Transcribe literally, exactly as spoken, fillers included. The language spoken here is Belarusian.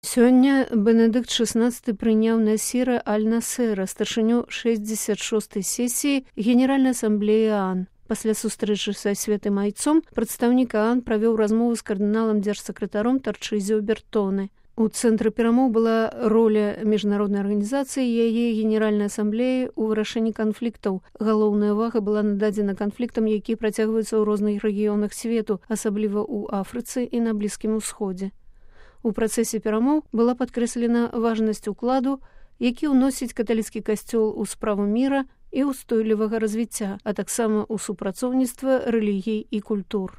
Сёння Бенедыкт шестнадцаты прыняў Насіра аль-Насера, старшыню шэсцьдзесят шостай сесіі Генеральнай асамблеі ААН. Пасля сустрэчы са святым айцом прадстаўнік ААН правёў размову з кардыналам дзяржсакратаром Тарчызіо Бертоне. У цэнтры перамоў была роля міжнароднай арганізацыі і яе Генеральнай асамблеі ў вырашэнні канфліктаў. Галоўная ўвага была нададзена канфліктам, якія працягваюцца ў розных рэгіёнах свету, асабліва ў Афрыцы і на Блізкім Усходзе. У працэсе перамоў была падкрэслена важнасць укладу, які ўносіць каталіцкі касцёл у справу міра і ўстойлівага развіцця, а таксама ў супрацоўніцтва рэлігій і культур.